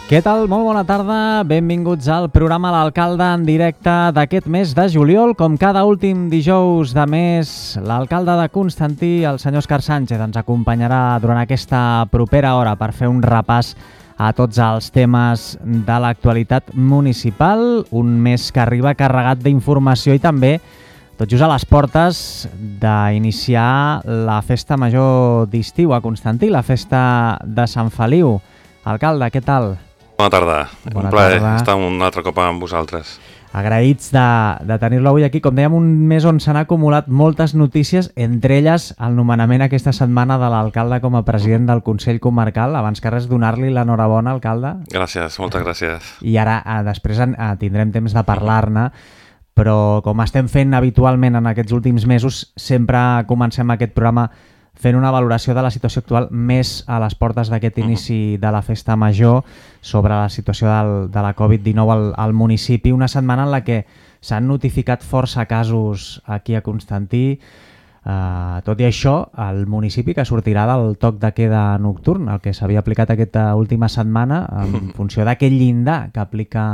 Què tal? Molt bona tarda, benvinguts al programa L'Alcalde en directe d'aquest mes de juliol. Com cada últim dijous de mes, l'alcalde de Constantí, el senyor Òscar Sánchez, ens acompanyarà durant aquesta propera hora per fer un repàs a tots els temes de l'actualitat municipal. Un mes que arriba carregat d'informació i també tot just a les portes d'iniciar la festa major d'estiu a Constantí, la festa de Sant Feliu. Alcalde, què tal? Bona tarda. Un plaer estar un altre cop amb vosaltres. Agraïts de tenir-lo avui aquí. Com dèiem, un mes on s'han acumulat moltes notícies, entre elles el nomenament aquesta setmana de l'alcalde com a president del Consell Comarcal. Abans que res, donar-li l'enhorabona, alcalde. Gràcies, moltes gràcies. I ara, després tindrem temps de parlar-ne, però com estem fent habitualment en aquests últims mesos, sempre comencem aquest programa fent una valoració de la situació actual més a les portes d'aquest inici de la festa major sobre la situació de la Covid-19 al municipi. Una setmana en la que s'han notificat força casos aquí a Constantí. Tot i això, el municipi que sortirà del toc de queda nocturn, el que s'havia aplicat aquesta última setmana, en funció d'aquell llindar que aplica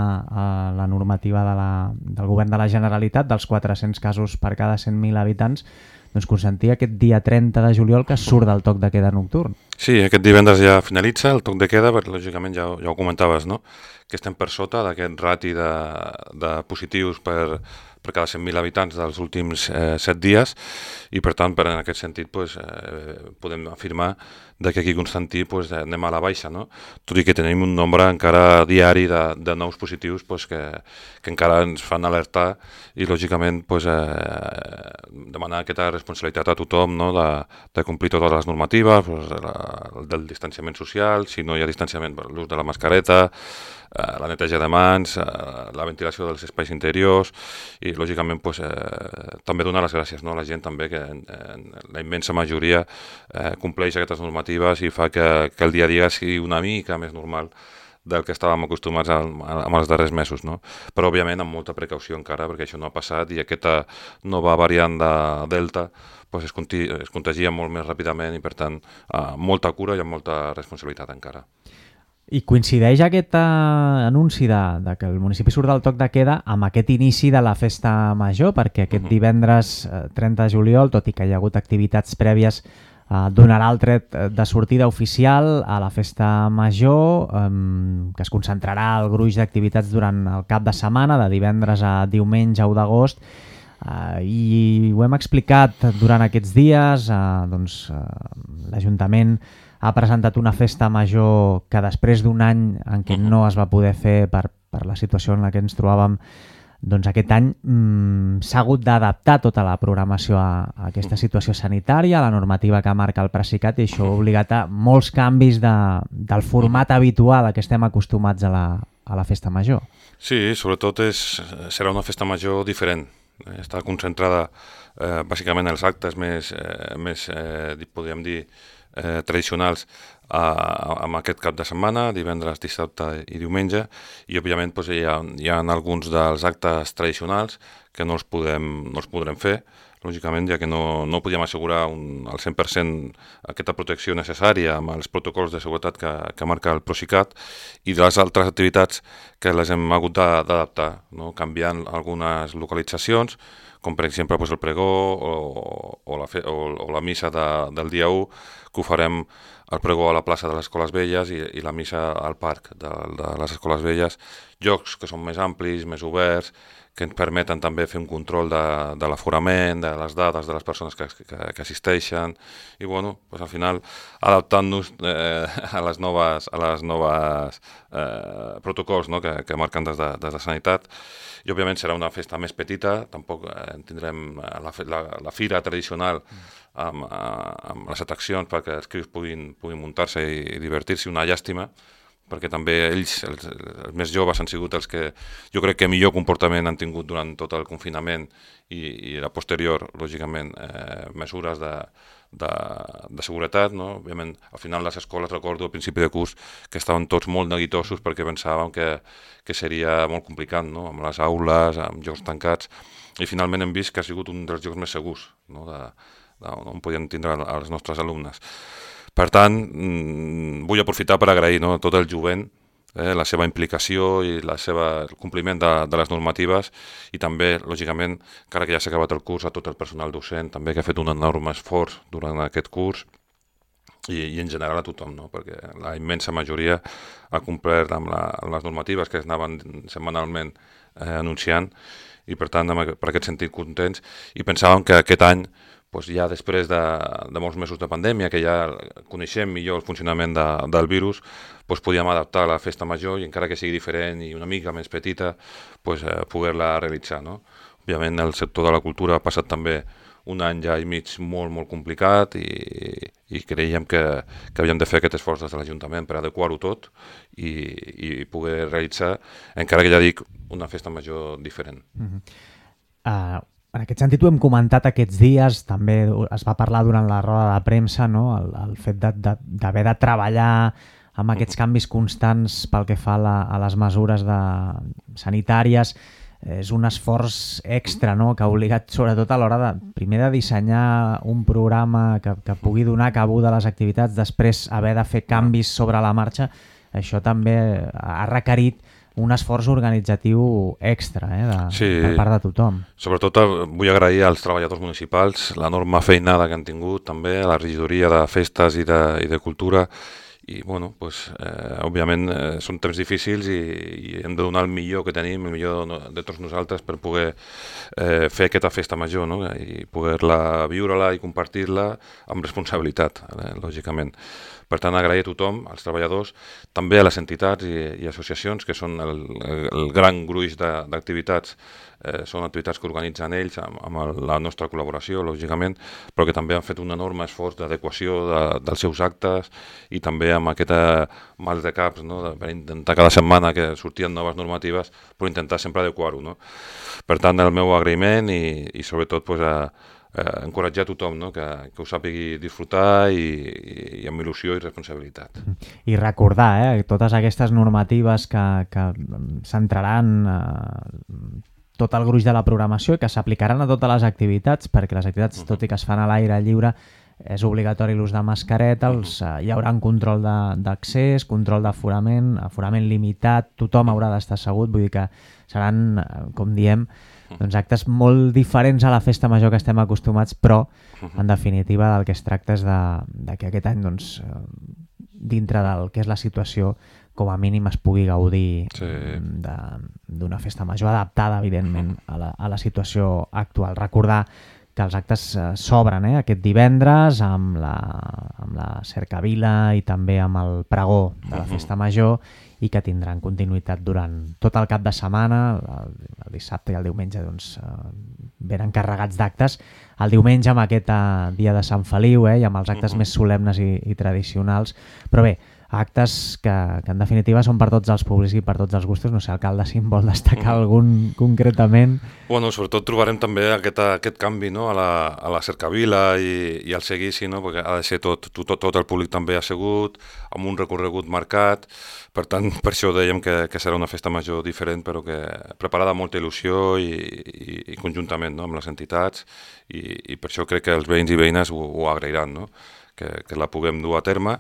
la normativa del govern de la Generalitat, dels 400 casos per cada 100.000 habitants, doncs Constantí aquest dia 30 de juliol que surt del toc de queda nocturn. Sí, aquest divendres ja finalitza el toc de queda, perquè lògicament ja ho comentaves, no? Que estem per sota d'aquest rati de positius per cada 100.000 habitants dels últims 7 dies i per tant, en aquest sentit, podem afirmar que aquí a Constantí anem a la baixa, no? Tot i que tenim un nombre encara diari de nous positius que encara ens fan alertar i lògicament demanar aquesta responsabilitat a tothom, no? de complir totes les normatives, del distanciament social, si no hi ha distanciament, l'ús de la mascareta, la neteja de mans, la ventilació dels espais interiors i lògicament també donar les gràcies, no? A la gent també que la immensa majoria compleix aquestes normatives i fa que el dia a dia sigui una mica més normal del que estàvem acostumats amb els darrers mesos, no? Però òbviament amb molta precaució encara perquè això no ha passat i aquesta nova variant de Delta es contagia molt més ràpidament i per tant molta cura i amb molta responsabilitat encara. I coincideix aquest anunci de que el municipi surt del toc de queda amb aquest inici de la festa major, perquè aquest divendres 30 de juliol, tot i que hi ha hagut activitats prèvies, donarà el tret de sortida oficial a la festa major, que es concentrarà el gruix d'activitats durant el cap de setmana, de divendres a diumenge 1 d'agost, i ho hem explicat durant aquests dies. L'Ajuntament ha presentat una festa major que després d'un any en què no es va poder fer per la situació en la que ens trobàvem, doncs aquest any s'ha hagut d'adaptar tota la programació a aquesta situació sanitària, a la normativa que marca el Presicat, i això ha obligat a molts canvis del format habitual a què estem acostumats a la festa major. Sí, sobretot serà una festa major diferent. Està concentrada bàsicament en els actes més podríem dir, tradicionals amb aquest cap de setmana, divendres, dissabte i diumenge, i òbviament hi ha alguns dels actes tradicionals que no els podrem fer, lògicament, ja que no podíem assegurar al 100% aquesta protecció necessària amb els protocols de seguretat que marca el Prosicat, i de les altres activitats que les hem hagut d'adaptar, no? Canviant algunes localitzacions, com per exemple el pregó o la missa del dia 1, que ho farem el pregó a la plaça de les Escoles Velles i la missa al parc de les Escoles Velles, llocs que són més amplis, més oberts, que ens permeten també fer un control de l'aforament, de les dades de les persones que assisteixen, i al final adaptant-nos a les noves protocols, no? que marquen des de Sanitat. I òbviament serà una festa més petita, tampoc tindrem la fira tradicional amb les atraccions perquè els crios puguin muntar-se i divertir-se, una llàstima, perquè també ells, els més joves, han sigut els que jo crec que millor comportament han tingut durant tot el confinament i la posterior, lògicament, mesures de seguretat, no? Òbviament, al final les escoles, recordo, al principi de curs, que estaven tots molt neguitosos perquè pensàvem que seria molt complicat, no? Amb les aules, amb jocs tancats, i finalment hem vist que ha sigut un dels jocs més segurs, no? On podien tindre els nostres alumnes. Per tant, vull aprofitar per agrair, no, tot el jovent la seva implicació i el compliment de les normatives, i també, lògicament, encara que ja s'ha acabat el curs, a tot el personal docent també, que ha fet un enorme esforç durant aquest curs, i en general a tothom, no? Perquè la immensa majoria ha complert amb les normatives que es anaven setmanalment anunciant, i per tant, per aquest sentit, contents, i pensàvem que aquest any, doncs ja després de molts mesos de pandèmia, que ja coneixem millor el funcionament del virus, doncs podíem adaptar la festa major, i encara que sigui diferent i una mica més petita, doncs poder-la realitzar, no? Òbviament el sector de la cultura ha passat també un any ja i mig molt, molt complicat, i creiem que havíem de fer aquest esforç des de l'Ajuntament per adequar-ho tot i poder realitzar, encara que ja dic, una festa major diferent. En aquest sentit ho hem comentat aquests dies, també es va parlar durant la roda de premsa, no? El fet d'haver de treballar amb aquests canvis constants pel que fa a les mesures sanitàries. És un esforç extra, no? Que ha obligat, sobretot a l'hora primer de dissenyar un programa que pugui donar cabuda a les activitats, després haver de fer canvis sobre la marxa. Això també ha requerit un esforç organitzatiu extra per part de tothom. Sobretot vull agrair als treballadors municipals l'enorme feinada que han tingut, també a la regidoria de festes i de cultura, i bueno, òbviament són temps difícils i hem de donar el millor que tenim, el millor de tots nosaltres, per poder fer aquesta festa major, no? I poder-la viure-la i compartir-la amb responsabilitat, lògicament. Per tant, agrair a tothom, als treballadors, també a les entitats i associacions, que són el gran gruix d'activitats. Són activitats que organitzen ells amb la nostra col·laboració, lògicament, però que també han fet un enorme esforç d'adequació dels seus actes, i també amb aquest mal de caps, no? Per intentar cada setmana que sortien noves normatives, però intentar sempre adequar-ho, no? Per tant, el meu agraïment i sobretot encoratjar a tothom, no? Que ho sàpigui disfrutar i amb il·lusió i responsabilitat. I recordar totes aquestes normatives que centraran tot el gruix de la programació i que s'aplicaran a totes les activitats, perquè les activitats, tot i que es fan a l'aire lliure, és obligatori l'ús de mascareta, hi haurà un control d'accés, control d'aforament, aforament limitat, tothom haurà d'estar assegut, vull dir que seran, com diem, doncs actes molt diferents a la festa major que estem acostumats, però en definitiva del que es tracta és de que aquest any, doncs, dintre del que és la situació, com a mínim es pugui gaudir d'una festa major adaptada, evidentment, a la situació actual. Recordar que els actes s'obren aquest divendres amb la cercavila i també amb el pregó de la festa major, i que tindran continuïtat durant tot el cap de setmana. El dissabte i el diumenge doncs, venen carregats d'actes. El diumenge amb aquest dia de Sant Feliu i amb els actes més solemnes i tradicionals. Però bé, actes que en definitiva són per tots els públics i per tots els gustos. No sé, alcalde, si em vol destacar algun concretament. Bueno, sobretot trobarem també aquest canvi, no? a la cercavila i al seguici, no? Perquè ha de ser tot el públic també assegut, amb un recorregut marcat. Per tant, per això dèiem que serà una festa major diferent, però que preparada amb molta il·lusió i conjuntament, no? Amb les entitats, i per això crec que els veïns i veïnes ho agrairan, no? Que la puguem dur a terme,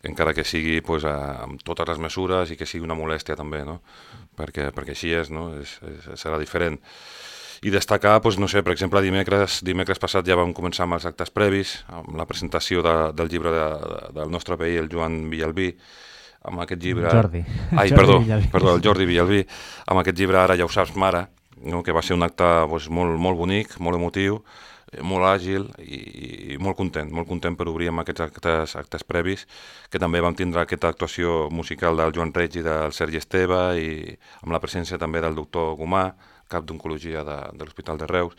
encara que sigui amb totes les mesures i que sigui una molèstia també, no? Perquè així és, no? Serà diferent. I destacar, no sé, per exemple, dimecres passat ja vam començar amb els actes previs, amb la presentació del llibre del nostre veí, el Joan Villalbí, amb aquest llibre... el Jordi Villalbí, amb aquest llibre Ara ja ho saps, mare, no? Que va ser un acte molt, molt bonic, molt emotiu, molt àgil i molt content per obrir amb aquests actes previs, que també vam tindre aquesta actuació musical del Joan Reig i del Sergi Esteve, i amb la presència també del doctor Gomà, cap d'oncologia de l'Hospital de Reus.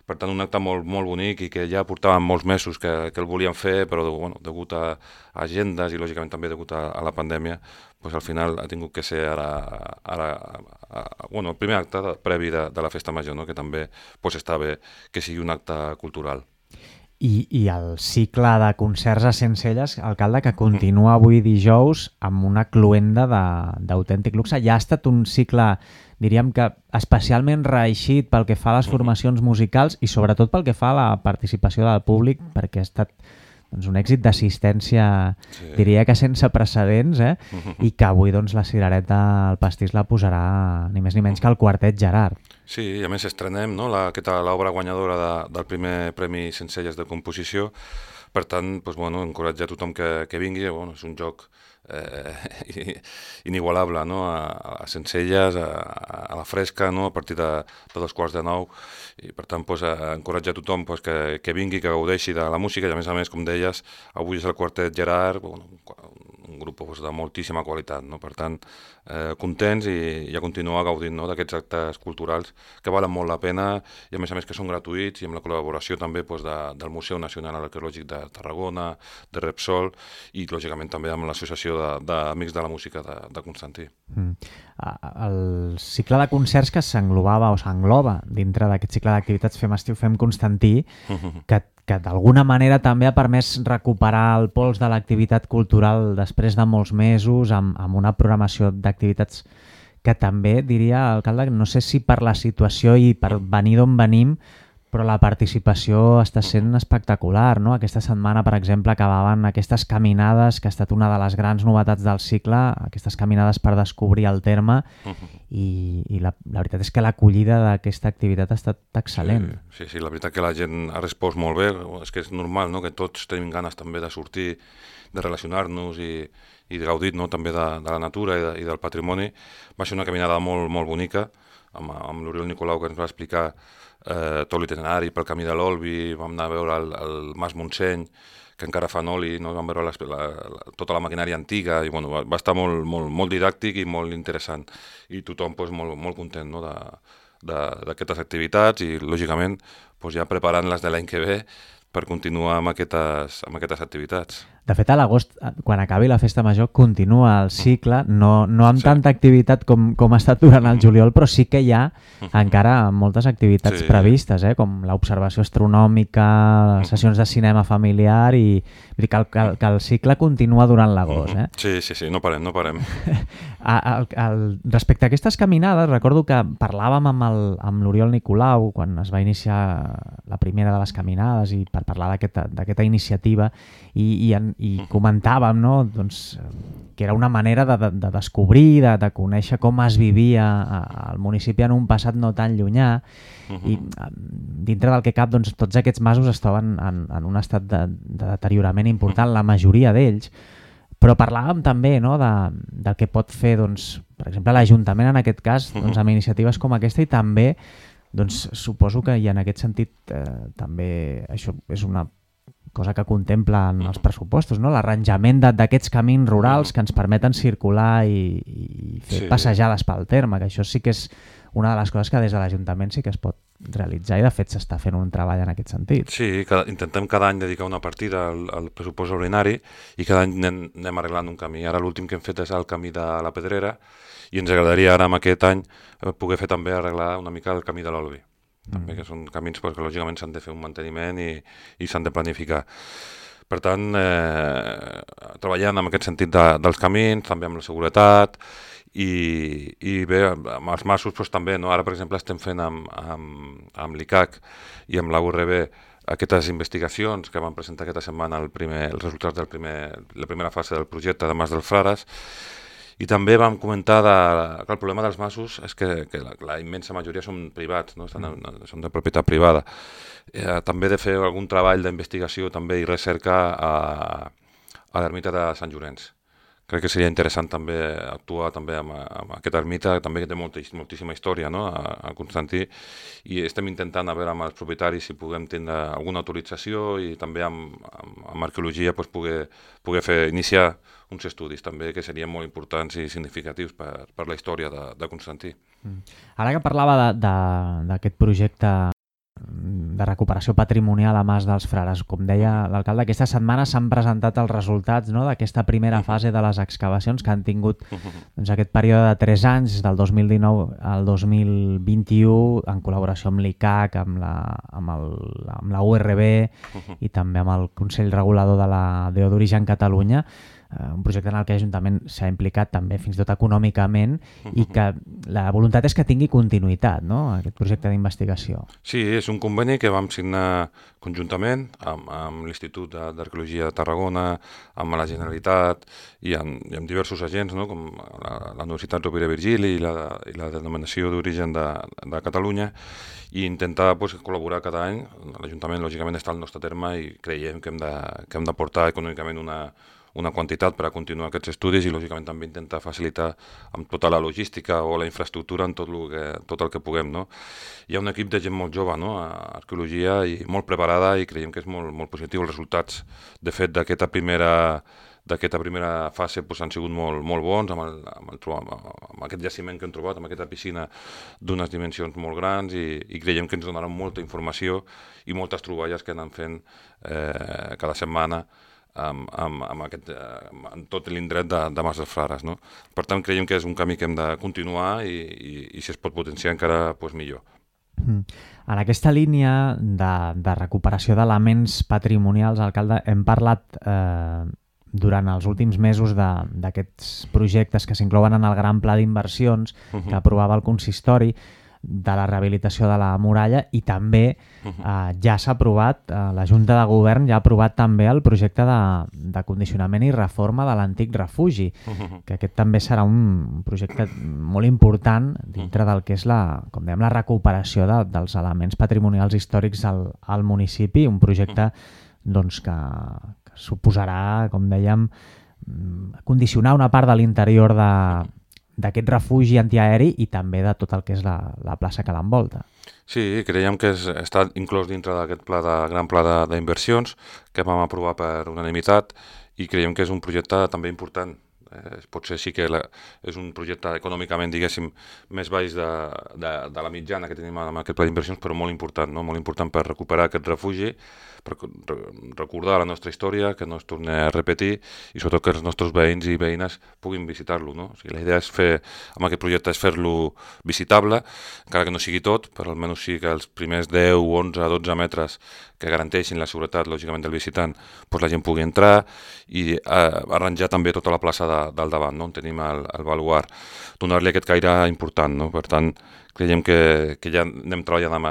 Per tant, un acte molt, molt bonic, i que ja portàvem molts mesos que el volíem fer, però degut a agendes i lògicament també degut a la pandèmia, al final ha tingut que ser el primer acte previ de la festa major, no? Que també està bé que sigui un acte cultural. I el cicle de concerts a Sencelles, alcalde, que continua avui dijous amb una cloenda d'autèntic luxe. Ja ha estat un cicle, diríem que especialment reeixit pel que fa a les formacions musicals i sobretot pel que fa a la participació del públic, perquè ha estat un èxit d'assistència, diria que sense precedents, i que avui doncs, la cirereta al pastís la posarà ni més ni menys que el Quartet Gerard. Sí, i a més estrenem l'obra guanyadora del primer Premi Sencelles de Composició. Per tant, encoratjar a tothom que vingui. És un joc inigualable, a Sencelles, a la fresca, a partir de 2:15. I per tant, encoratjar a tothom que vingui, que gaudeixi de la música. I a més, com deies, avui és el Quartet Gerard, un grup de moltíssima qualitat. Per tant, contents i a continuar gaudint d'aquests actes culturals que valen molt la pena i a més que són gratuïts i amb la col·laboració també del Museu Nacional Arqueològic de Tarragona, de Repsol i lògicament també amb l'Associació d'Amics de la Música de Constantí. El cicle de concerts que s'englobava o s'engloba dintre d'aquest cicle d'activitats Fem Estiu, Fem Constantí, que d'alguna manera també ha permès recuperar el pols de l'activitat cultural després de molts mesos amb una programació d'activitats que també, diria, alcalde, no sé si per la situació i per venir d'on venim, però la participació està sent espectacular, no? Aquesta setmana, per exemple, acabaven aquestes caminades, que ha estat una de les grans novetats del cicle, aquestes caminades per descobrir el terme, i la veritat és que l'acollida d'aquesta activitat ha estat excel·lent. Sí, la veritat que la gent ha respost molt bé, és que és normal que tots tenim ganes també de sortir, de relacionar-nos i de gaudir també de la natura i del patrimoni. Va ser una caminada molt, molt bonica, amb l'Oriol Nicolau, que ens va explicar tot l'itinerari pel camí de l'Olvi. Vam anar a veure el Mas Montseny, que encara fan oli, vam veure tota la maquinària antiga, i va estar molt didàctic i molt interessant, i tothom molt content d'aquestes activitats i lògicament ja preparant-les de l'any que ve per continuar amb aquestes activitats. De fet, a l'agost, quan acabi la festa major, continua el cicle, no amb tanta activitat com ha estat durant el juliol, però sí que hi ha encara moltes activitats previstes, com l'observació astronòmica, les sessions de cinema familiar, i que el cicle continua durant l'agost. Sí, no parem. Respecte a aquestes caminades, recordo que parlàvem amb l'Oriol Nicolau quan es va iniciar la primera de les caminades i per parlar d'aquesta iniciativa, i comentàvem que era una manera de descobrir, de conèixer com es vivia al municipi en un passat no tan llunyà, i dintre del que cap tots aquests masos es troben en un estat de deteriorament important, la majoria d'ells, però parlàvem també del que pot fer, per exemple, l'Ajuntament en aquest cas, amb iniciatives com aquesta, i també suposo que en aquest sentit també això és una cosa que contemplen els pressupostos, l'arranjament d'aquests camins rurals que ens permeten circular i fer passejades pel terme, que això sí que és una de les coses que des de l'Ajuntament sí que es pot realitzar, i de fet s'està fent un treball en aquest sentit. Sí, intentem cada any dedicar una partida al pressupost ordinari i cada any anem arreglant un camí. Ara l'últim que hem fet és el camí de la Pedrera i ens agradaria ara amb aquest any poder fer també arreglar una mica el camí de l'Olvi. També, que són camins que lògicament s'han de fer un manteniment i s'han de planificar. Per tant, treballant en aquest sentit dels camins, també amb la seguretat, i bé, amb els masos també, ara per exemple estem fent amb l'ICAC i amb la URB aquestes investigacions que van presentar aquesta setmana els resultats de la primera fase del projecte de Mas dels Frares. I també vam comentar que el problema dels masos és que la immensa majoria són privats, són de propietat privada. També de fer algun treball d'investigació també i recerca a l'ermita de Sant Llorenç. Crec que seria interessant també actuar també amb aquesta ermita, també que té moltíssima història a Constantí, i estem intentant a veure amb els propietaris si puguem tindre alguna autorització i també amb arqueologia poder iniciar uns estudis també que serien molt importants i significatius per la història de Constantí. Ara que parlava d'aquest projecte de recuperació patrimonial a Mas dels Frares, com deia l'alcalde, aquesta setmana s'han presentat els resultats d'aquesta primera fase de les excavacions que han tingut aquest període de 3 anys, del 2019 al 2021, en col·laboració amb l'ICAC, amb la URB i també amb el Consell Regulador de la DO d'Origen Catalunya. un projecte en el que l'Ajuntament s'ha implicat també fins i tot econòmicament i que la voluntat és que tingui continuïtat, no?, aquest projecte d'investigació. Sí, és un conveni que vam signar conjuntament amb l'Institut d'Arqueologia de Tarragona, amb la Generalitat i amb diversos agents, no?, com la Universitat Rovira i Virgili i la Denominació d'Origen de Catalunya, i intentar col·laborar cada any. L'Ajuntament, lògicament, està al nostre terme i creiem que hem d'aportar econòmicament una quantitat per a continuar aquests estudis i, lògicament, també intentar facilitar amb tota la logística o la infraestructura en tot el que puguem, no? Hi ha un equip de gent molt jove, no?, a arqueologia, i molt preparada, i creiem que és molt positiu. Els resultats, de fet, d'aquesta primera fase han sigut molt bons, amb aquest jaciment que hem trobat, amb aquesta piscina d'unes dimensions molt grans, i creiem que ens donaran molta informació i moltes troballes que anem fent cada setmana en tot l'indret de Mas dels Frares, no? Per tant, creiem que és un camí que hem de continuar i si es pot potenciar encara, millor. En aquesta línia de recuperació d'elements patrimonials, alcalde, hem parlat durant els últims mesos d'aquests projectes que s'inclouen en el gran pla d'inversions que aprovava el consistori, de la rehabilitació de la muralla, i també ja s'ha aprovat, la Junta de Govern ja ha aprovat també el projecte de condicionament i reforma de l'antic refugi, que aquest també serà un projecte molt important dintre del que és com dèiem, la recuperació dels elements patrimonials històrics al municipi, un projecte doncs, que suposarà, com dèiem, condicionar una part de l'interior d'aquest refugi antiaeri i també de tot el que és la plaça que l'envolta. Sí, creiem que està inclòs dintre d'aquest gran pla d'inversions que vam aprovar per unanimitat, i creiem que és un projecte també important. Potser sí que és un projecte econòmicament, diguéssim, més baix de la mitjana que tenim amb aquest pla d'inversions, però molt important, no? Molt important per recuperar aquest refugi, per recordar la nostra història, que no es torni a repetir, i sobretot que els nostres veïns i veïnes puguin visitar-lo, no? O sigui, la idea amb aquest projecte és fer-lo visitable, encara que no sigui tot, però almenys sí que els primers 10, 11, 12 metres que garanteixin la seguretat, lògicament, del visitant, la gent pugui entrar, i arranjar també tota la plaça del davant, no? On tenim el baluart, donar-li aquest caire important, no? Per tant, creiem que ja anem treballant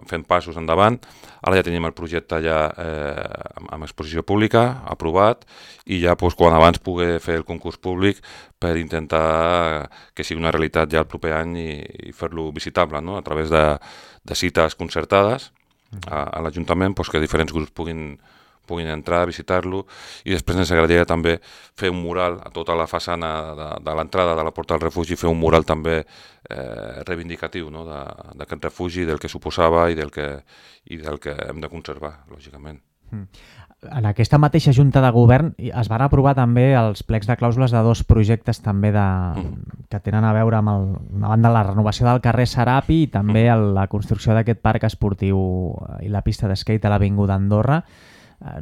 fent passos endavant. Ara ja tenim el projecte ja amb exposició pública, aprovat, i ja quan abans pugui fer el concurs públic per intentar que sigui una realitat ja el proper any i fer-lo visitable, no? A través de cites concertades a l'Ajuntament, que diferents grups puguin entrar, visitar-lo, i després ens agradaria també fer un mural a tota la façana de l'entrada de la porta del refugi, fer un mural també reivindicatiu, no?, d'aquest refugi, del que suposava i del que hem de conservar, lògicament. En aquesta mateixa Junta de Govern es van aprovar també els plecs de clàusules de 2 projectes també que tenen a veure amb una banda la renovació del carrer Serapi i també la construcció d'aquest parc esportiu i la pista d'esquate a l'Avinguda Andorra.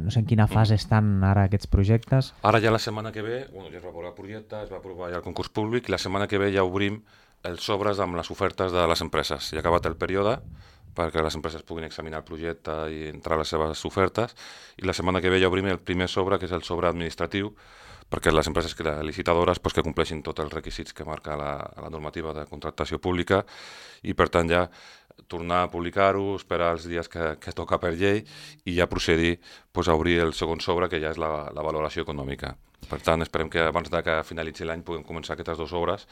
No sé en quina fase estan ara aquests projectes. Ara ja la setmana que ve, ja es va aprovar el projecte, es va aprovar ja el concurs públic, i la setmana que ve ja obrim els sobres amb les ofertes de les empreses. Ja ha acabat el període perquè les empreses puguin examinar el projecte i entrar les seves ofertes, i la setmana que ve ja obrim el primer sobre, que és el sobre administratiu, perquè les empreses licitadores que compleixin tots els requisits que marca la normativa de contractació pública, i per tant ja tornar a publicar-ho, esperar els dies que toca per llei i ja procedir a obrir el segon sobre, que ja és la valoració econòmica. Per tant, esperem que abans que finalitzi l'any puguem començar aquestes 2 obres,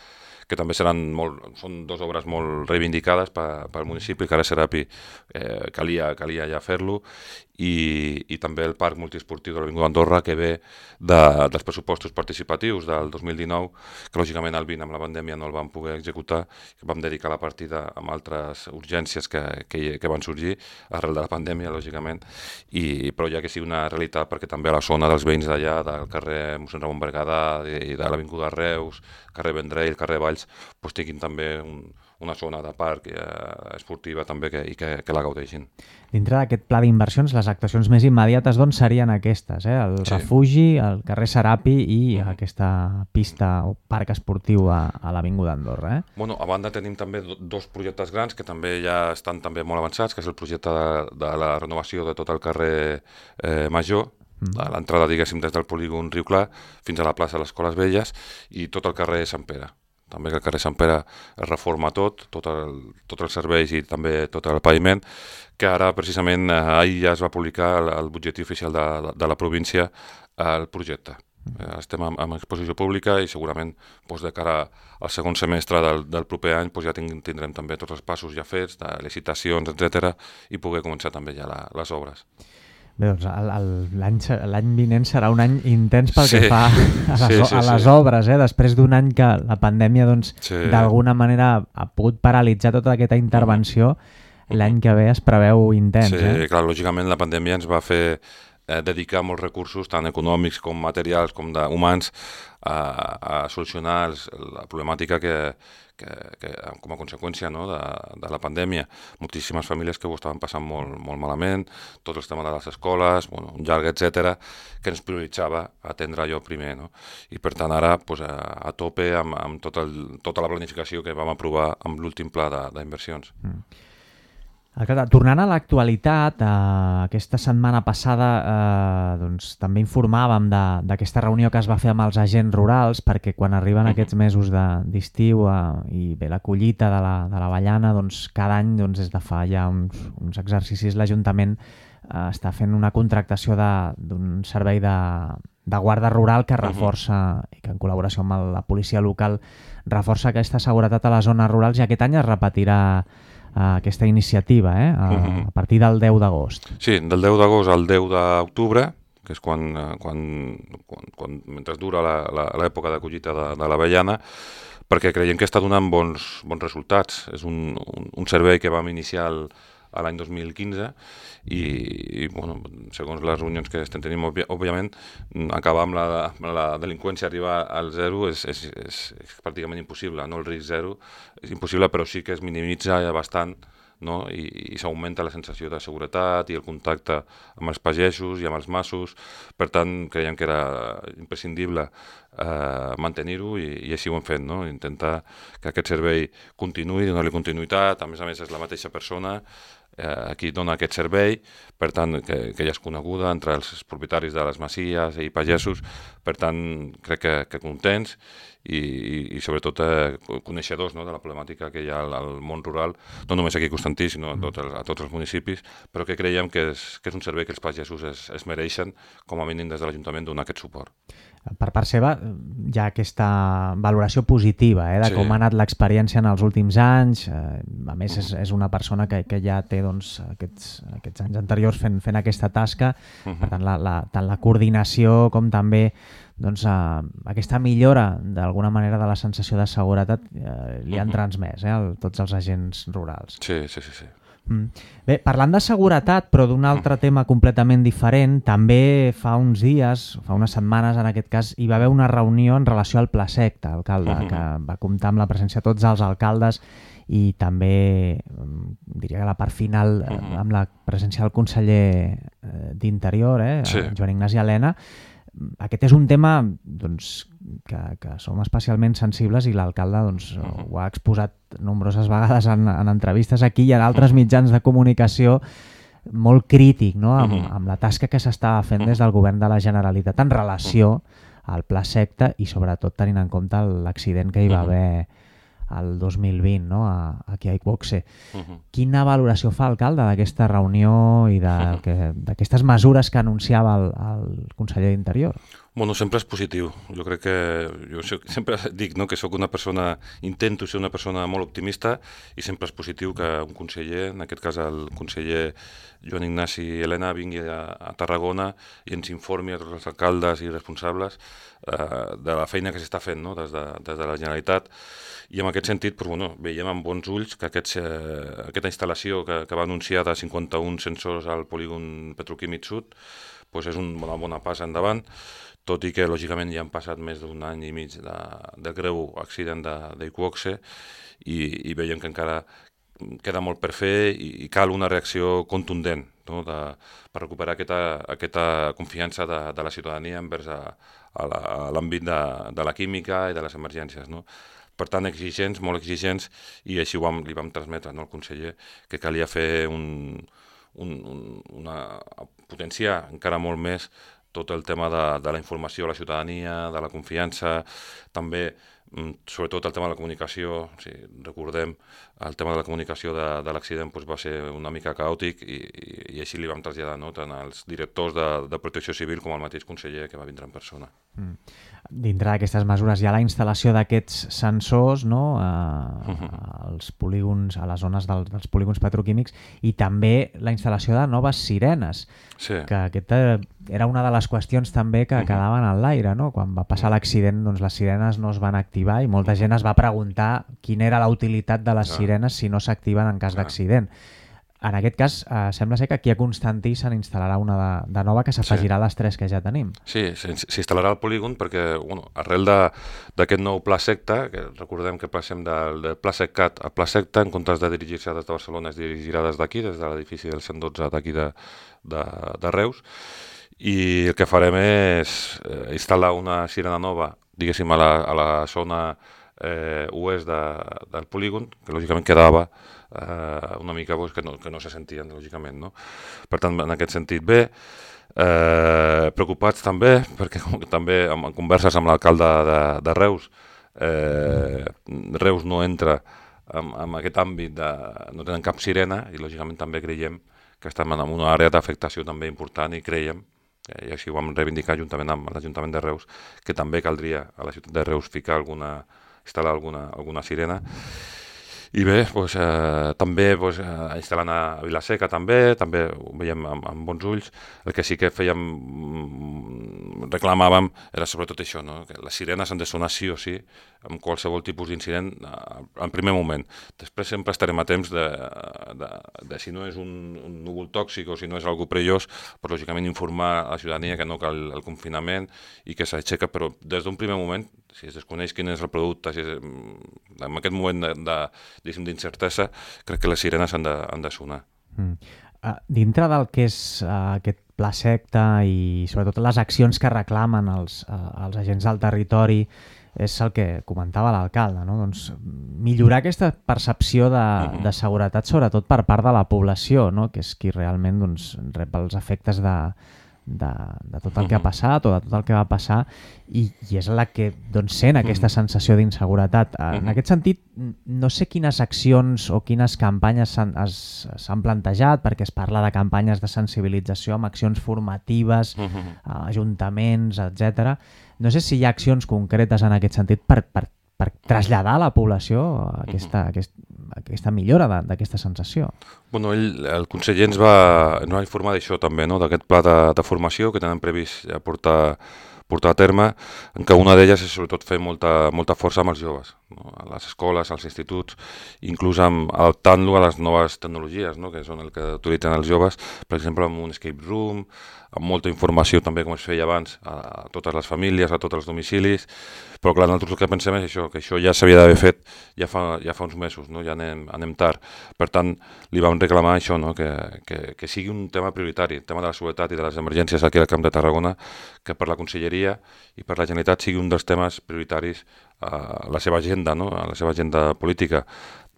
que també són 2 obres molt reivindicades pel municipi, que ara Serapi calia ja fer-lo, i també el Parc Multiesportiu de l'Avinguda Andorra, que ve dels pressupostos participatius del 2019, que lògicament el 20 amb la pandèmia no el vam poder executar, que vam dedicar la partida amb altres urgències que van sorgir arrel de la pandèmia, lògicament, però ja que sigui una realitat, perquè també a la zona dels veïns d'allà, del carrer Mossèn Ramon Berguedà i de l'Avinguda Reus, carrer Vendrell, carrer Valls, tinguin també una zona de parc esportiva també i que la gaudeixin. Dintre d'aquest pla d'inversions, les actuacions més immediates doncs serien aquestes, el refugi, el carrer Serapi i aquesta pista o parc esportiu a l'Avinguda Andorra. A banda tenim també 2 projectes grans que també ja estan també molt avançats, que és el projecte de la renovació de tot el carrer Major, a l'entrada, diguéssim, des del polígon Riu Clar fins a la plaça de les Escoles Velles i tot el carrer Sant Pere. També que el carrer Sant Pere es reforma tot els serveis i també tot el paviment, que ara precisament ahir ja es va publicar el butlletí oficial de la província el projecte. Estem en exposició pública i segurament de cara al segon semestre del proper any ja tindrem també tots els passos ja fets, de licitacions, etc., i poder començar també ja les obres. Bé, doncs l'any vinent serà un any intens pel que fa a les obres, després d'un any que la pandèmia d'alguna manera ha pogut paralitzar tota aquesta intervenció, l'any que ve es preveu intens. Sí, clar, lògicament la pandèmia ens va fer dedicar molts recursos, tant econòmics com materials com humans, a solucionar la problemàtica que com a conseqüència de la pandèmia. Moltíssimes famílies que ho estaven passant molt malament, tots els temes de les escoles, un llarg, etc., que ens prioritzava atendre allò primer. I per tant ara a tope amb tota la planificació que vam aprovar amb l'últim pla d'inversions. Tornant a l'actualitat, aquesta setmana passada també informàvem d'aquesta reunió que es va fer amb els agents rurals, perquè quan arriben aquests mesos d'estiu i bé la collita de l'avellana, cada any des de fa ja uns exercicis l'Ajuntament està fent una contractació d'un servei de guarda rural que reforça, i que en col·laboració amb la policia local reforça aquesta seguretat a les zones rurals, i aquest any es repetirà aquesta iniciativa, a partir del 10 d'agost. Sí, del 10 d'agost al 10 d'octubre, que és quan mentre dura l'època de collita de l'avellana, perquè creiem que està donant bons resultats. És un servei que vam iniciar l'any 2015 i segons les reunions que estem tenint, òbviament, acabar amb la delinqüència, arribar al zero és pràcticament impossible, no? El risc zero és impossible, però sí que es minimitza bastant, i s'augmenta la sensació de seguretat i el contacte amb els pagesos i amb els massos. Per tant, creiem que era imprescindible mantenir-ho i així ho hem fet, intentar que aquest servei continuï, donar-li continuïtat. A més és la mateixa persona qui dona aquest servei, per tant que ja és coneguda entre els propietaris de les masies i pagesos. Per tant, crec que contents i sobretot coneixedors de la problemàtica que hi ha al món rural, no només aquí a Constantí, sinó a tots els municipis, però que creiem que és un servei que els pagesos es mereixen, com a mínim des de l'Ajuntament, donar aquest suport. Per part seva hi ha aquesta valoració positiva de com ha anat l'experiència en els últims anys. A més, és una persona que ja té aquests anys anteriors fent aquesta tasca. Per tant, tant la coordinació com també aquesta millora d'alguna manera de la sensació de seguretat li han transmès tots els agents rurals. Sí. Bé, parlant de seguretat, però d'un altre tema completament diferent, també fa uns dies, fa unes setmanes en aquest cas, hi va haver una reunió en relació al Pla Secta, alcalde, que va comptar amb la presència de tots els alcaldes i també, diria que la part final, amb la presència del conseller d'Interior, Joan Ignasi Elena. Aquest és un tema que som especialment sensibles i l'alcalde ho ha exposat nombroses vegades en entrevistes aquí i en altres mitjans de comunicació, molt crític amb la tasca que s'estava fent des del govern de la Generalitat en relació al Pla Secta i sobretot tenint en compte l'accident que hi va haver el 2020 aquí a Iqboxe. Quina valoració fa alcalde d'aquesta reunió i d'aquestes mesures que anunciava el conseller d'Interior? Sempre és positiu. Jo crec que sempre dic que soc una persona, intento ser una persona molt optimista i sempre és positiu que un conseller, en aquest cas el conseller Joan Ignasi Elena, vingui a Tarragona i ens informi a tots els alcaldes i responsables de la feina que s'està fent des de la Generalitat. I en aquest sentit veiem amb bons ulls que aquesta instal·lació que va anunciar de 51 sensors al polígon petroquímic sud és una bona passa endavant, tot i que lògicament ja han passat més d'un any i mig del greu accident d'Iqboxe i veiem que encara queda molt per fer i cal una reacció contundent per recuperar aquesta confiança de la ciutadania envers l'àmbit de la química i de les emergències. Per tant, exigents, molt exigents, i així li vam transmetre al conseller que calia fer potenciar encara molt més tot el tema de la informació a la ciutadania, de la confiança, també sobretot el tema de la comunicació, si recordem, el tema de la comunicació de l'accident va ser una mica caòtic i així li vam traslladar tant als directors de Protecció Civil com al mateix conseller que va vindre en persona. Dintre d'aquestes mesures hi ha la instal·lació d'aquests sensors als polígons, a les zones dels polígons petroquímics, i també la instal·lació de noves sirenes, que aquesta era una de les qüestions també que quedaven en l'aire, no? Quan va passar l'accident, doncs les sirenes no es van activar i molta gent es va preguntar quina era la utilitat de les sirenes si no s'activen en cas d'accident. En aquest cas, sembla ser que aquí a Constantí se n'instal·larà una de nova que s'afegirà a les 3 que ja tenim. Sí, s'instal·larà al polígon perquè arrel d'aquest nou pla secta, que recordem que passem del pla seccat a pla secta, en comptes de dirigir-se des de Barcelona, es dirigirà des d'aquí, des de l'edifici del 112 d'aquí de Reus, i el que farem és instal·lar una sirena nova, diguéssim, a la zona oest del polígon, que lògicament quedava una mica que no se sentien, lògicament, no? Per tant, en aquest sentit, bé, preocupats també, perquè també en converses amb l'alcalde de Reus, Reus no entra en aquest àmbit, no tenen cap sirena, i lògicament també creiem que estem en una àrea d'afectació també important i creiem, i així ho vam reivindicar juntament amb l'Ajuntament de Reus, que també caldria a la ciutat de Reus instal·lar alguna sirena. I bé, també instal·lant a Vilaseca també ho veiem amb bons ulls. El que sí que reclamàvem era sobretot això, no? Que les sirenes han de sonar sí o sí amb qualsevol tipus d'incident en primer moment. Després sempre estarem a temps de si no és un núvol tòxic o si no és algú perillós, però lògicament informar a la ciutadania que no cal el confinament i que s'aixeca, però des d'un primer moment, si es desconeix quin és el producte, en aquest moment d'incertesa, crec que les sirenes han de sonar. Dintre del que és aquest pla secta i sobretot les accions que reclamen els agents del territori, és el que comentava l'alcalde, no? Doncs millorar aquesta percepció de seguretat, sobretot per part de la població, no? Que és qui realment rep els efectes de tot el que ha passat o de tot el que va passar i és la que sent aquesta sensació d'inseguretat. En aquest sentit, no sé quines accions o quines campanyes s'han plantejat, perquè es parla de campanyes de sensibilització amb accions formatives, ajuntaments, etc. No sé si hi ha accions concretes en aquest sentit per traslladar a la població aquesta millora d'aquesta sensació. Bueno, el conseller ens va informar d'això també, no? D'aquest pla de formació que tenen previst ja portar a terme, en què una d'elles és sobretot fer molta força amb els joves, no? A les escoles, als instituts, inclús adaptant-lo a les noves tecnologies, no? Que són el que utilitzen els joves, per exemple, amb un escape room, amb molta informació també, com es feia abans, a totes les famílies, a tots els domicilis, però clar, nosaltres el que pensem és això, que això ja s'havia d'haver fet ja fa uns mesos, no? Ja anem tard. Per tant, li vam reclamar això, no? Que sigui un tema prioritari, el tema de la seguretat i de les emergències aquí al Camp de Tarragona, que per la Conselleria i per la Generalitat sigui un dels temes prioritaris a la seva agenda, no? A la seva agenda política,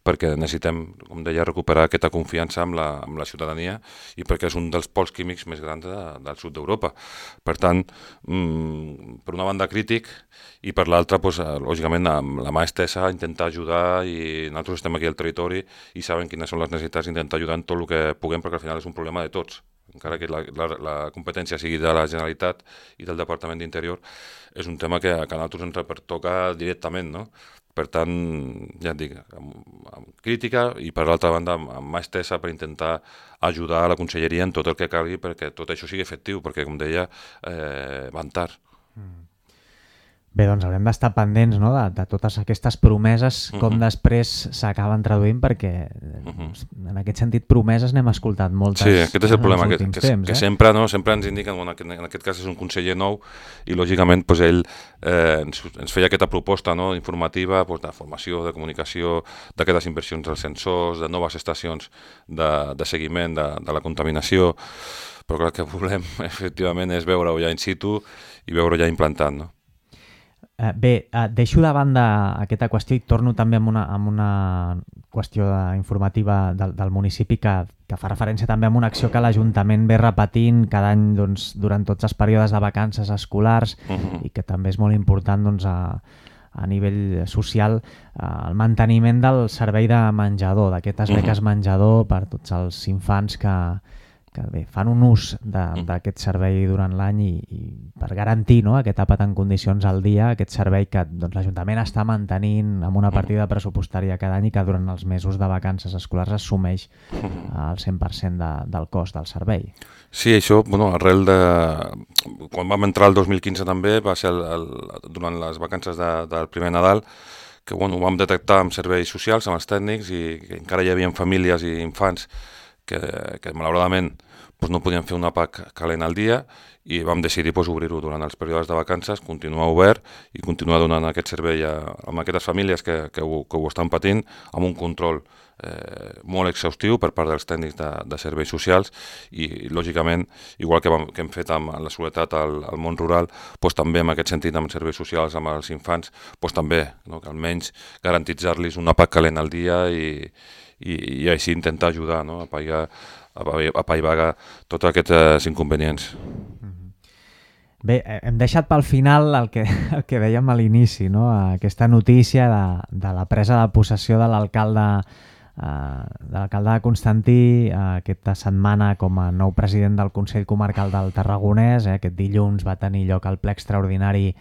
perquè necessitem, com deia, recuperar aquesta confiança amb la ciutadania i perquè és un dels pols químics més grans del sud d'Europa. Per tant, per una banda crític i per l'altra, lògicament, amb la mà estesa a intentar ajudar, i nosaltres estem aquí al territori i saben quines són les necessitats, intentar ajudar en tot el que puguem, perquè al final és un problema de tots. Encara que la competència sigui de la Generalitat i del Departament d'Interior, és un tema que a nosaltres ens pertoca directament, no? Per tant, ja et dic, amb crítica i per l'altra banda amb mà estesa per intentar ajudar a la Conselleria en tot el que calgui perquè tot això sigui efectiu, perquè, com deia, van tard. Bé, doncs haurem d'estar pendents, no?, de totes aquestes promeses, com després s'acaben traduint, perquè en aquest sentit promeses n'hem escoltat moltes. Sí, aquest és el problema, que sempre ens indiquen, en aquest cas és un conseller nou i lògicament ell ens feia aquesta proposta, no?, informativa, de formació, de comunicació, d'aquestes inversions dels sensors, de noves estacions de seguiment de la contaminació, però clar, el que volem efectivament és veure-ho ja in situ i veure-ho ja implantat, no? Deixo de banda aquesta qüestió i torno també amb una qüestió informativa del municipi que fa referència també a una acció que l'Ajuntament ve repetint cada any durant tots els períodes de vacances escolars i que també és molt important a nivell social, el manteniment del servei de menjador, d'aquestes beques menjador per tots els infants que fan un ús d'aquest servei durant l'any i per garantir aquest àpat en condicions al dia, aquest servei que l'Ajuntament està mantenint amb una partida pressupostària cada any i que durant els mesos de vacances escolars assumeix el 100% del cost del servei. Sí, això, arrel de... Quan vam entrar el 2015 també, va ser durant les vacances del primer Nadal, que ho vam detectar amb serveis socials, amb els tècnics, i que encara hi havia famílies i infants que malauradament no podien fer un àpat calent al dia i vam decidir obrir-ho durant els períodes de vacances, continuar obert i continuar donant aquest servei a aquestes famílies que ho estan patint amb un control molt exhaustiu per part dels tècnics de serveis socials i, lògicament, igual que hem fet amb la seguretat al món rural, també en aquest sentit amb serveis socials, amb els infants, també, que almenys garantitzar-los un àpat calent al dia i així intentar ajudar a apaivagar tots aquests inconvenients. Bé, hem deixat pel final el que dèiem a l'inici, aquesta notícia de la presa de possessió de l'alcalde Constantí aquesta setmana com a nou president del Consell Comarcal del Tarragonès. Aquest dilluns va tenir lloc el ple extraordinari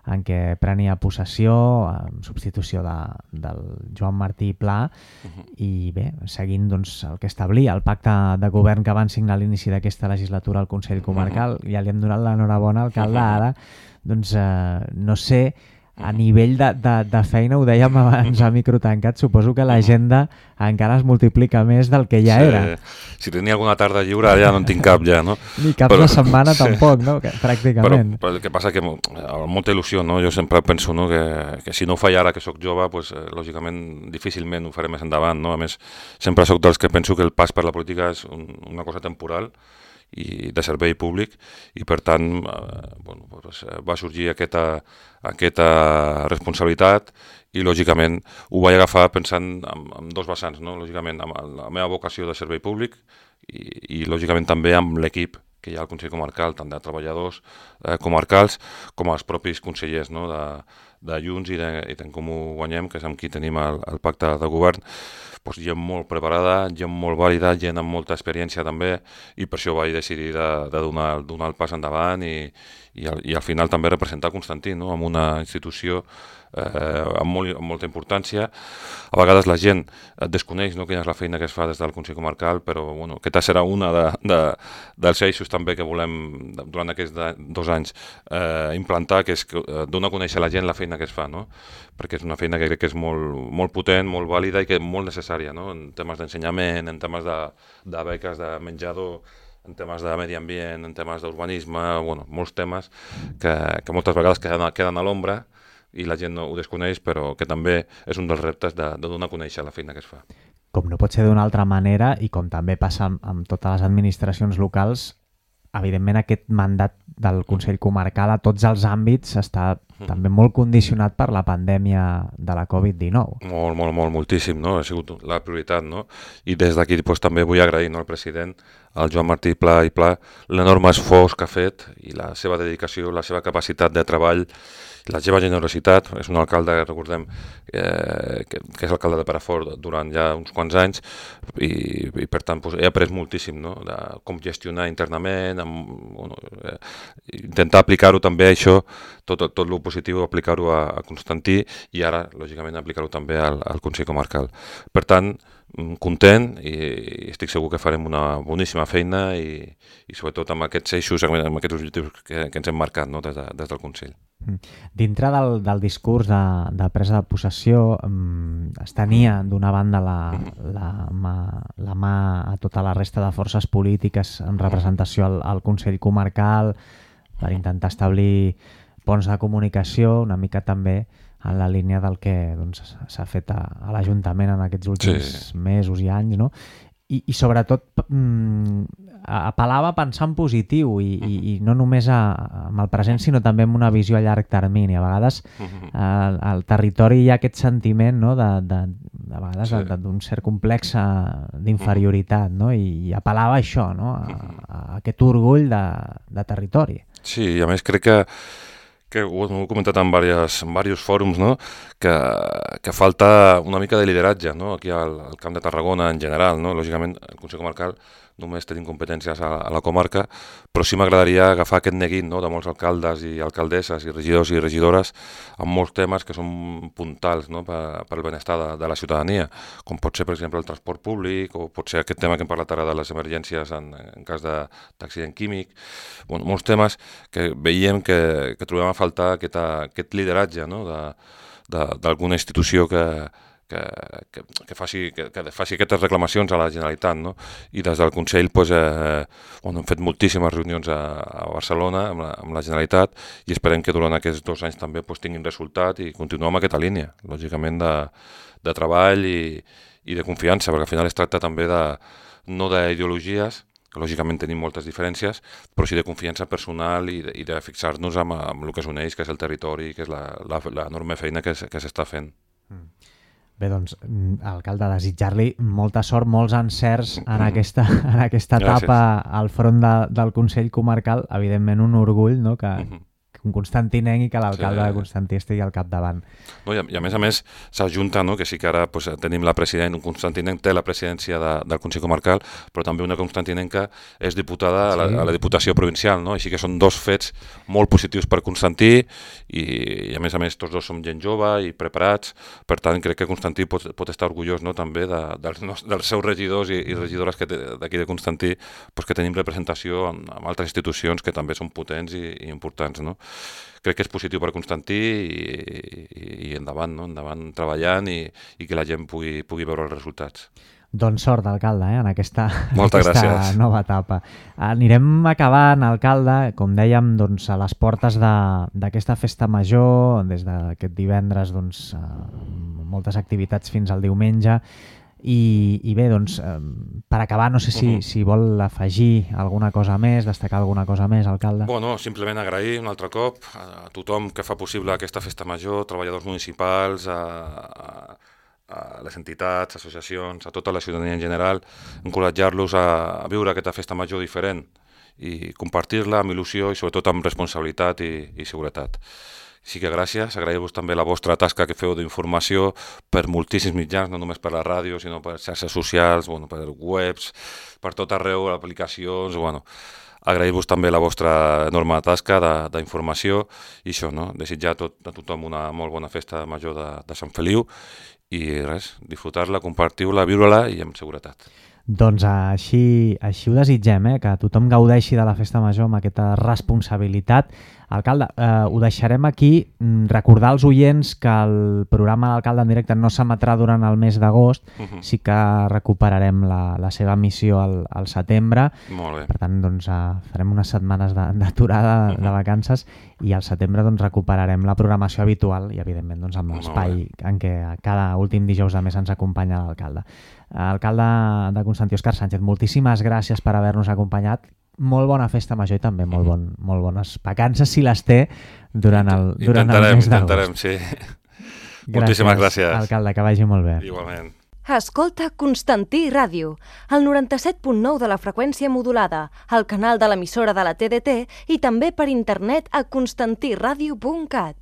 en què prenia possessió en substitució del Joan Martí Pla i bé, seguint el que establia el pacte de govern que van signar a l'inici d'aquesta legislatura al Consell Comarcal. Ja li hem donat l'enhorabona al alcalde, ara no sé, a nivell de feina, ho dèiem abans a micro tancat, suposo que l'agenda encara es multiplica més del que ja era. Si tenia alguna tarda lliure, ja no en tinc cap ja, no? Ni cap de setmana tampoc, no? Pràcticament. Però el que passa que amb molta il·lusió, no? Jo sempre penso que si no ho faig ara que sóc jove, lògicament difícilment ho faré més endavant, no? A més, sempre sóc dels que penso que el pas per la política és una cosa temporal i de servei públic i per tant va sorgir aquesta responsabilitat i lògicament ho vaig agafar pensant en dos vessants, no? Lògicament amb la meva vocació de servei públic i lògicament també amb l'equip que hi ha al Consell Comarcal, tant de treballadors comarcals com els propis consellers, no? de Junts i d'en Comú Guanyem, que és amb qui tenim el pacte de govern. Gent molt preparada, gent molt vàlida, gent amb molta experiència també, i per això vaig decidir de donar el pas endavant i al final també representar Constantí, no? En una institució amb molta importància. A vegades la gent desconeix, no, quina és la feina que es fa des del Consell Comarcal, però aquesta serà una dels eixos també que volem durant aquests 2 anys implantar, que és donar a conèixer a la gent la feina que es fa, no? Perquè és una feina que crec que és molt potent, molt vàlida i que és molt necessària, no? En temes d'ensenyament, en temes de beques de menjador, en temes de medi ambient, en temes d'urbanisme, molts temes que moltes vegades queden a l'ombra i la gent no ho desconeix, però que també és un dels reptes de donar a conèixer la feina que es fa. Com no pot ser d'una altra manera, i com també passa amb totes les administracions locals, evidentment aquest mandat del Consell Comarcal a tots els àmbits està també molt condicionat per la pandèmia de la Covid-19. Moltíssim, no? Ha sigut la prioritat, no? I des d'aquí també vull agrair al president, al Joan Martí Pla i Pla, l'enorme esforç que ha fet i la seva dedicació, la seva capacitat de treball, la seva generositat. És un alcalde, recordem, que és alcalde de Perafort durant ja uns quants anys i per tant he après moltíssim, no? De com gestionar internament, intentar aplicar-ho també això, tot el positiu, aplicar-ho a Constantí i ara, lògicament, aplicar-ho també al Consell Comarcal. Per tant, content i estic segur que farem una boníssima feina i sobretot amb aquests eixos, amb aquests objectius que ens hem marcat, no? des del Consell. Dintre del discurs de presa de possessió es tenia d'una banda la mà a tota la resta de forces polítiques en representació al Consell Comarcal per intentar establir ponts de comunicació, una mica també en la línia del que s'ha fet a l'Ajuntament en aquests últims mesos i anys, no? i sobretot apel·lava a pensar en positiu i no només amb el present sinó també amb una visió a llarg termini. A vegades al territori hi ha aquest sentiment, no? de vegades d'un cert complex d'inferioritat, no? I apel·lava a això, no? a aquest orgull de territori. Sí, i a més crec que ho he comentat en diversos fòrums, no? que falta una mica de lideratge, no? Aquí al Camp de Tarragona en general, no? Lògicament el Consell Comarcal només tenim competències a la comarca, però sí m'agradaria agafar aquest neguit, no? De molts alcaldes i alcaldesses i regidors i regidores amb molts temes que són puntals, no? per al benestar de la ciutadania, com pot ser per exemple el transport públic o pot ser aquest tema que hem parlat ara de les emergències en cas d'accident químic, bueno, molts temes que veiem que trobem a faltar aquest lideratge, no? d'alguna institució que faci aquestes reclamacions a la Generalitat, no? I des del Consell hem fet moltíssimes reunions a Barcelona amb la Generalitat i esperem que durant aquests 2 anys també tinguin resultat i continuem amb aquesta línia, lògicament de treball i de confiança, perquè al final es tracta també no d'ideologies, que lògicament tenim moltes diferències, però sí de confiança personal i de fixar-nos amb el que s'uneix, que és el territori, que és l'enorme feina que s'està fent. Bé, doncs, alcalde, desitjar-li molta sort, molts encerts en aquesta etapa al front del Consell Comarcal. Evidentment un orgull, no? que un constantinenc i que l'alcalde de Constantí estigui al capdavant. No, i a més s'ajunta, no? Que sí que ara tenim un constantinenc té la presidència del Consell Comarcal, però també una constantinenca és diputada a la Diputació Provincial, no? Així que són 2 fets molt positius per Constantí i a més tots 2 som gent jove i preparats, per tant crec que Constantí pot estar orgullós, no? També dels seus regidors i regidores d'aquí de Constantí, que tenim representació en altres institucions que també són potents i importants, no? Crec que és positiu per Constantí i endavant, no? Endavant treballant i que la gent pugui veure els resultats. Doncs sort, alcalde, en aquesta gràcies. Nova etapa. Anirem acabant, alcalde, com dèiem, doncs, a les portes d'aquesta festa major, des d'aquest divendres, doncs, moltes activitats fins al diumenge. I bé, doncs, per acabar, no sé si vol afegir alguna cosa més, destacar alguna cosa més, alcalde. Bueno, simplement agrair un altre cop a tothom que fa possible aquesta festa major, treballadors municipals, a les entitats, associacions, a tota la ciutadania en general, encoratjar-los a viure aquesta festa major diferent i compartir-la amb il·lusió i sobretot amb responsabilitat i seguretat. Sí que gràcies, agrair-vos també la vostra tasca que feu d'informació per moltíssims mitjans, no només per la ràdio, sinó per xarxes socials, per webs, per tot arreu, aplicacions, agrair-vos també la vostra enorme tasca d'informació i això, no? Desitjar a tothom una molt bona festa major de Sant Feliu i res, disfrutar-la, compartir-la, viure-la i amb seguretat. Doncs així ho desitgem, que tothom gaudeixi de la festa major amb aquesta responsabilitat. Alcalde, ho deixarem aquí. Recordar als oients que el programa d'Alcalde en directe no s'emetrà durant el mes d'agost, sí que recuperarem la seva emissió al setembre. Molt bé. Per tant, doncs, farem unes setmanes d'aturada de vacances i al setembre doncs, recuperarem la programació habitual i, evidentment, doncs, amb l'espai en què cada últim dijous de mes ens acompanya l'alcalde. Alcalde de Constantí, Òscar Sánchez, moltíssimes gràcies per haver-nos acompanyat. Molt bona festa major i també molt bones vacances, si les té, durant el mes d'agost. Intentarem, sí. Moltíssimes gràcies. Alcalde, que vagi molt bé. Igualment. Escolta Constantí Ràdio, el 97.9 de la freqüència modulada, el canal de l'emissora de la TDT i també per internet a constantiradio.cat.